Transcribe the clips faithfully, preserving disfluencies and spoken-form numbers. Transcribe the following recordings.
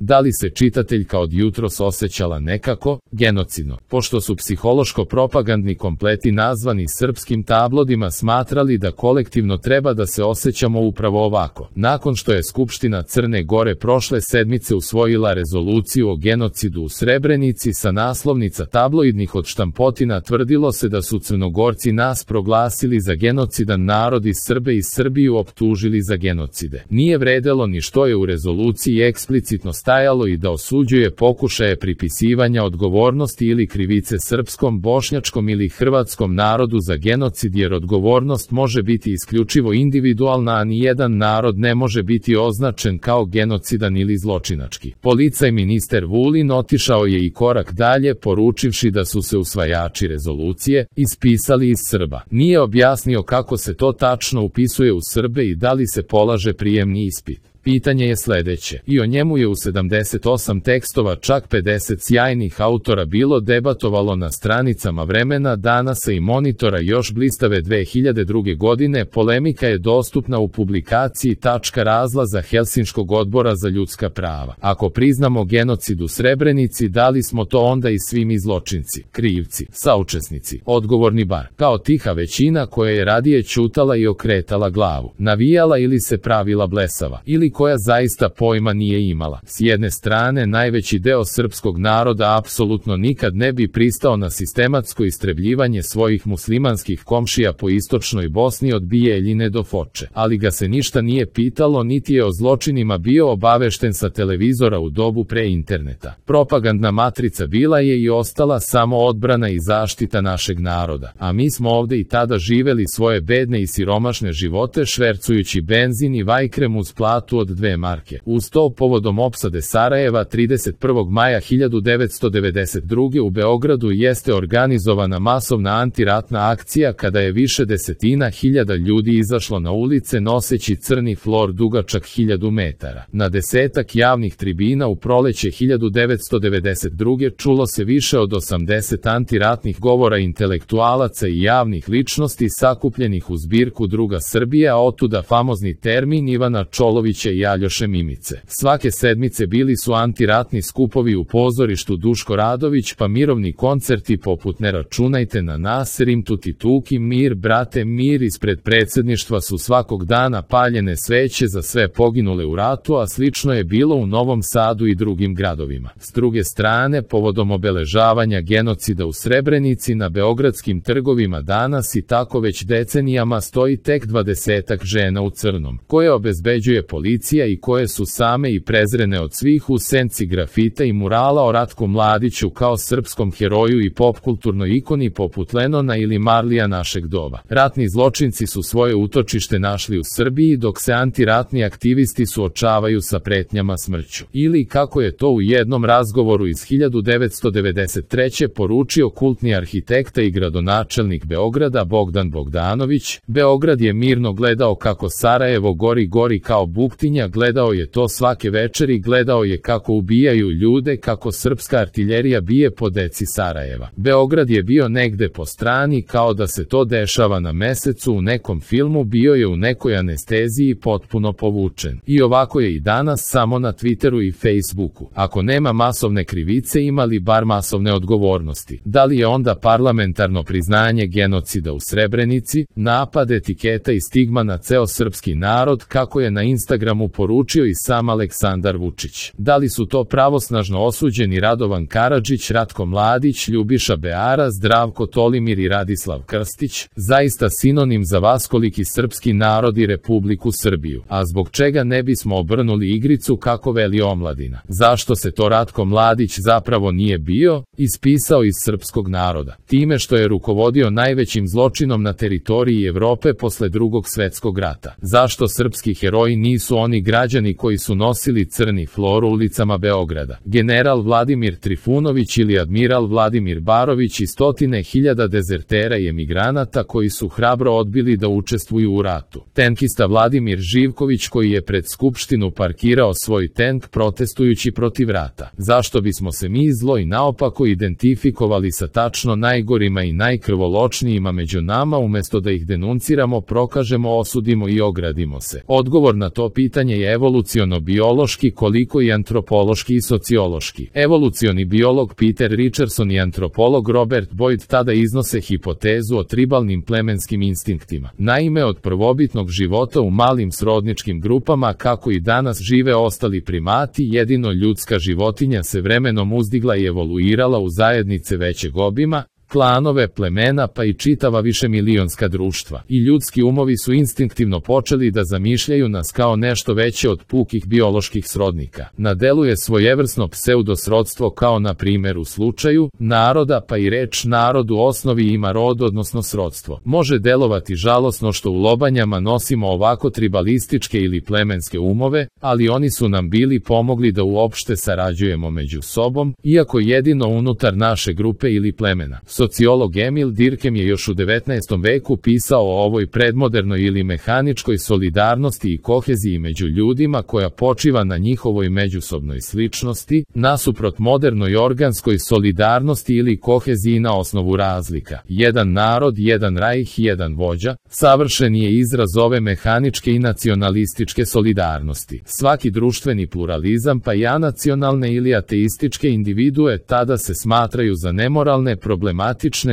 Da li se čitateljka od jutros osjećala nekako, genocidno, pošto su psihološko-propagandni kompleti nazvani srpskim tabloidima smatrali da kolektivno treba da se osjećamo upravo ovako. Nakon što je Skupština Crne Gore prošle sedmice usvojila rezoluciju o genocidu u Srebrenici sa naslovnica tabloidnih odštampotina, tvrdilo se da su Crnogorci nas proglasili za genocidan narod i Srbe i Srbiju optužili za genocide. Nije vredelo ni što je u rezoluciji eksplicitno stajalo i da osuđuje pokušaje pripisivanja odgovornosti ili krivice srpskom, bošnjačkom ili hrvatskom narodu za genocid, jer odgovornost može biti isključivo individualna, a nijedan narod ne može biti označen kao genocidan ili zločinački. Policaj minister Vulin otišao je i korak dalje, poručivši da su se usvajači rezolucije ispisali iz Srba. Nije objasnio kako se to tačno upisuje u Srbe i da li se polaže prijemni ispit. Pitanje je sledeće, i o njemu je u sedamdeset osam tekstova čak pedeset sjajnih autora bilo debatovalo na stranicama Vremena, Danasa i Monitora još blistave dve hiljade druge. godine. Polemika je dostupna u publikaciji Tačka razlaza Helsinškog odbora za ljudska prava. Ako priznamo genocid u Srebrenici, da li smo to onda i svi mi zločinci, krivci, saučesnici, odgovorni bar, kao tiha većina koja je radije ćutala i okretala glavu, navijala ili se pravila blesava, ili koja zaista pojma nije imala. S jedne strane, najveći deo srpskog naroda apsolutno nikad ne bi pristao na sistematsko istrebljivanje svojih muslimanskih komšija po istočnoj Bosni od Bijeljine do Foče, ali ga se ništa nije pitalo, niti je o zločinima bio obavešten sa televizora u dobu pre interneta. Propagandna matrica bila je i ostala samo odbrana i zaštita našeg naroda, a mi smo ovde i tada živeli svoje bedne i siromašne živote švercujući benzin i vajkrem uz platu od dve marke. Uz to, povodom opsade Sarajeva trideset prvog maja hiljadu devetsto devedeset druge. u Beogradu jeste organizovana masovna antiratna akcija kada je više desetina hiljada ljudi izašlo na ulice noseći crni flor dugačak hiljadu metara. Na desetak javnih tribina u proleće hiljadu devetsto devedeset druge. čulo se više od osamdeset antiratnih govora intelektualaca i javnih ličnosti sakupljenih u zbirku Druga Srbija, a otuda famozni termin Ivana Čolovića i Aljoše Mimice. Svake sedmice bili su antiratni skupovi u pozorištu Duško Radović, pa mirovni koncerti poput Ne računajte na nas, Rim tuti tuki, Mir brate mir. Ispred predsjedništva su svakog dana paljene sveće za sve poginule u ratu, a slično je bilo u Novom Sadu i drugim gradovima. S druge strane, povodom obeležavanja genocida u Srebrenici, na beogradskim trgovima danas i tako već decenijama stoji tek dvadesetak žena u crnom, koje obezbeđuje policija i koje su same i prezrene od svih u senci grafita i murala o Ratku Mladiću kao srpskom heroju i popkulturnoj ikoni poput Lenona ili Marlija našeg doba. Ratni zločinci su svoje utočište našli u Srbiji, dok se antiratni aktivisti suočavaju sa pretnjama smrću. Ili, kako je to u jednom razgovoru iz hiljadu devetsto devedeset treće. poručio kultni arhitekta i gradonačelnik Beograda Bogdan Bogdanović, Beograd je mirno gledao kako Sarajevo gori gori kao buktinja, gledao je to svake večeri, gledao je kako ubijaju ljude, kako srpska artiljerija bije po deci Sarajeva. Beograd je bio negde po strani, kao da se to dešava na mesecu u nekom filmu, bio je u nekoj anesteziji potpuno povučen. I ovako je i danas, samo na Twitteru i Facebooku. Ako nema masovne krivice, ima li bar masovne odgovornosti? Da li je onda parlamentarno priznanje genocida u Srebrenici, napad, etiketa i stigma na ceo srpski narod, kako je na Instagramu poručio i sam Aleksandar Vučić? Da li su to pravosnažno osuđeni Radovan Karadžić, Ratko Mladić, Ljubiša Beara, Zdravko Tolimir i Radislav Krstić, zaista sinonim za vaskoliki srpski narod i Republiku Srbiju? A zbog čega ne bismo obrnuli igricu kako veli omladina? Zašto se to Ratko Mladić zapravo nije bio ispisao iz srpskog naroda? Time što je rukovodio najvećim zločinom na teritoriji Evrope posle Drugog svetskog rata. Zašto srpski heroji nisu oni građani koji su nosili crni flor ulicama Beograda? General Vladimir Trifunović ili admiral Vladimir Barović i stotine hiljada dezertera i emigranata koji su hrabro odbili da učestvuju u ratu. Tenkista Vladimir Živković koji je pred Skupštinu parkirao svoj tenk protestujući protiv rata. Zašto bismo se mi zlo i naopako identifikovali sa tačno najgorima i najkrvoločnijima među nama, umesto da ih denunciramo, prokažemo, osudimo i ogradimo se? Odgovor na to pitanje pitanje je evoluciono-biološki koliko i antropološki i sociološki. Evolucioni biolog Peter Richardson i antropolog Robert Boyd tada iznose hipotezu o tribalnim plemenskim instinktima. Naime, od prvobitnog života u malim srodničkim grupama kako i danas žive ostali primati, jedino ljudska životinja se vremenom uzdigla i evoluirala u zajednice većeg obima, klanove, plemena pa i čitava višemilionska društva. I ljudski umovi su instinktivno počeli da zamišljaju nas kao nešto veće od pukih bioloških srodnika. Na delu je svojevrsno pseudosrodstvo kao na primjer u slučaju naroda, pa i reč narod u osnovi ima rod odnosno srodstvo. Može delovati žalosno što u lobanjama nosimo ovako tribalističke ili plemenske umove, ali oni su nam bili pomogli da uopšte sarađujemo među sobom, iako jedino unutar naše grupe ili plemena. Sociolog Emil Durkheim je još u devetnaestom veku pisao o ovoj predmodernoj ili mehaničkoj solidarnosti i koheziji među ljudima koja počiva na njihovoj međusobnoj sličnosti, nasuprot modernoj organskoj solidarnosti ili koheziji na osnovu razlika. Jedan narod, jedan rajh, jedan vođa, savršen je izraz ove mehaničke i nacionalističke solidarnosti. Svaki društveni pluralizam pa i anacionalne ili ateističke individue tada se smatraju za nemoralne, problematične,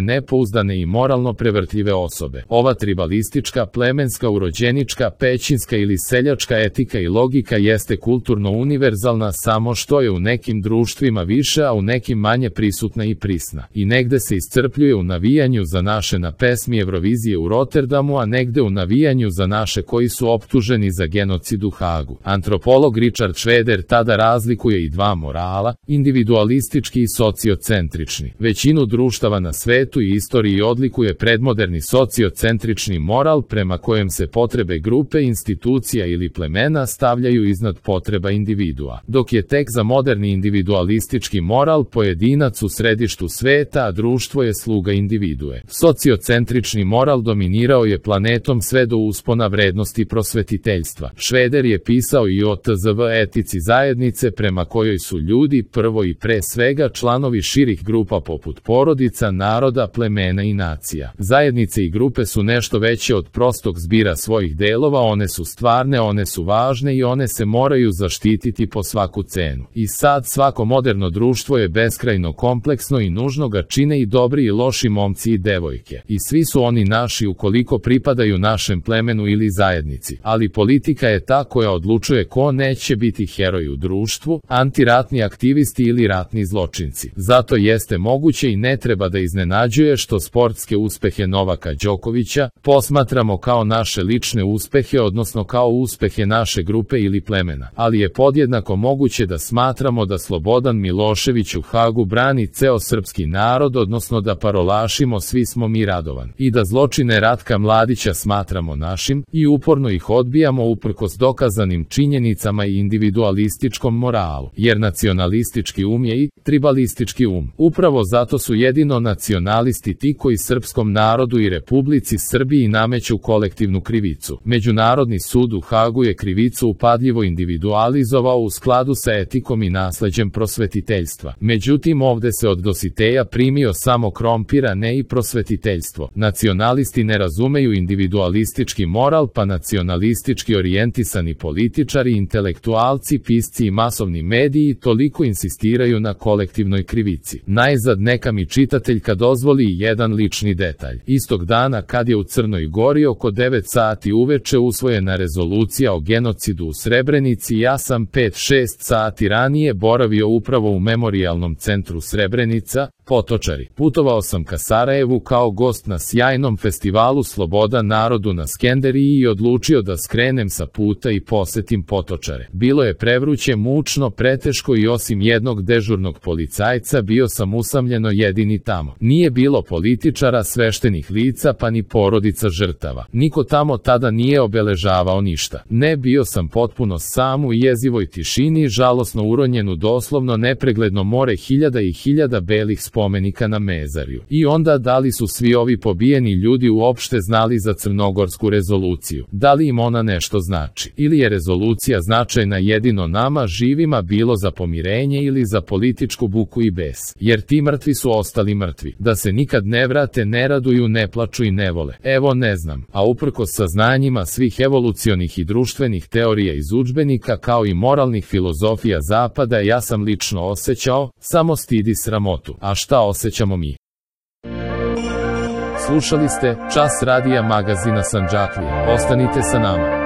nepouzdane i moralno prevrtljive osobe. Ova tribalistička, plemenska, urođenička, pećinska ili seljačka etika i logika jeste kulturno univerzalna, samo što je u nekim društvima više, a u nekim manje prisutna i prisna. I negde se iscrpljuje u navijanju za naše na pesmi Eurovizije u Rotterdamu, a negde u navijanju za naše koji su optuženi za genocid u Hagu. Antropolog Richard Schroeder tada razlikuje i dva morala, individualistički i sociocentrični. Većinu društava na svetu i istoriji odlikuje predmoderni sociocentrični moral prema kojem se potrebe grupe, institucija ili plemena stavljaju iznad potreba individua, dok je tek za moderni individualistički moral pojedinac u središtu sveta, a društvo je sluga individue. Sociocentrični moral dominirao je planetom sve do uspona vrednosti prosvetiteljstva. Schroeder je pisao i o tzv. Etici zajednice prema kojoj su ljudi prvo i pre svega članovi širih grupa poput porodica, naroda, plemena i nacija. Zajednice i grupe su nešto veće od prostog zbira svojih delova, one su stvarne, one su važne i one se moraju zaštititi po svaku cenu. I sad svako moderno društvo je beskrajno kompleksno i nužno ga čine i dobri i loši momci i devojke. I svi su oni naši ukoliko pripadaju našem plemenu ili zajednici. Ali politika je ta koja odlučuje ko neće biti heroj u društvu, antiratni aktivisti ili ratni zločinci. Zato jeste moguće i ne treba da iznenađuje što sportske uspehe Novaka Đokovića posmatramo kao naše lične uspehe, odnosno kao uspehe naše grupe ili plemena. Ali je podjednako moguće da smatramo da Slobodan Milošević u Hagu brani ceo srpski narod, odnosno da parolašimo svi smo mi Radovan. I da zločine Ratka Mladića smatramo našim i uporno ih odbijamo uprkos dokazanim činjenicama i individualističkom moralu. Jer nacionalistički um je i tribalistički um. Upravo zato su jedino nacionalisti ti koji srpskom narodu i Republici Srbiji nameću kolektivnu krivicu. Međunarodni sud u Hagu je krivicu upadljivo individualizovao u skladu sa etikom i nasleđem prosvetiteljstva. Međutim, ovde se od Dositeja primio samo krompir, a ne i prosvetiteljstvo. Nacionalisti ne razumeju individualistički moral, pa nacionalistički orijentisani političari, intelektualci, pisci i masovni mediji toliko insistiraju na kolektivnoj krivici. Najzad neka mi čitateljka dozvoli jedan lični detalj. Istog dana kad je u Crnoj Gori oko devet sati uveče usvojena rezolucija o genocidu u Srebrenici, ja sam pet šest sati ranije boravio upravo u memorijalnom centru Srebrenica, Potočari. Putovao sam ka Sarajevu kao gost na sjajnom festivalu Sloboda narodu na Skenderiji i odlučio da skrenem sa puta i posetim Potočare. Bilo je prevruće, mučno, preteško i osim jednog dežurnog policajca bio sam usamljeno jedini tamo. Nije bilo političara, sveštenih lica pa ni porodica žrtava. Niko tamo tada nije obeležavao ništa. Ne, bio sam potpuno sam u jezivoj tišini, žalosno uronjen u doslovno nepregledno more hiljada i hiljada belih spomena spomenika na Mezarju. I onda da li su svi ovi pobijeni ljudi uopšte znali za crnogorsku rezoluciju? Da li im ona nešto znači? Ili je rezolucija značajna jedino nama živima bilo za pomirenje ili za političku buku i bes? Jer ti mrtvi su ostali mrtvi. Da se nikad ne vrate, ne raduju, ne plaču i ne vole. Evo ne znam. A uprkos saznanjima svih evolucionih i društvenih teorija iz udžbenika kao i moralnih filozofija zapada, ja sam lično osjećao samo stid i sramotu. A šta osjećamo mi? Slušali ste Čas radija magazina Sandžaklije. Ostanite sa nama.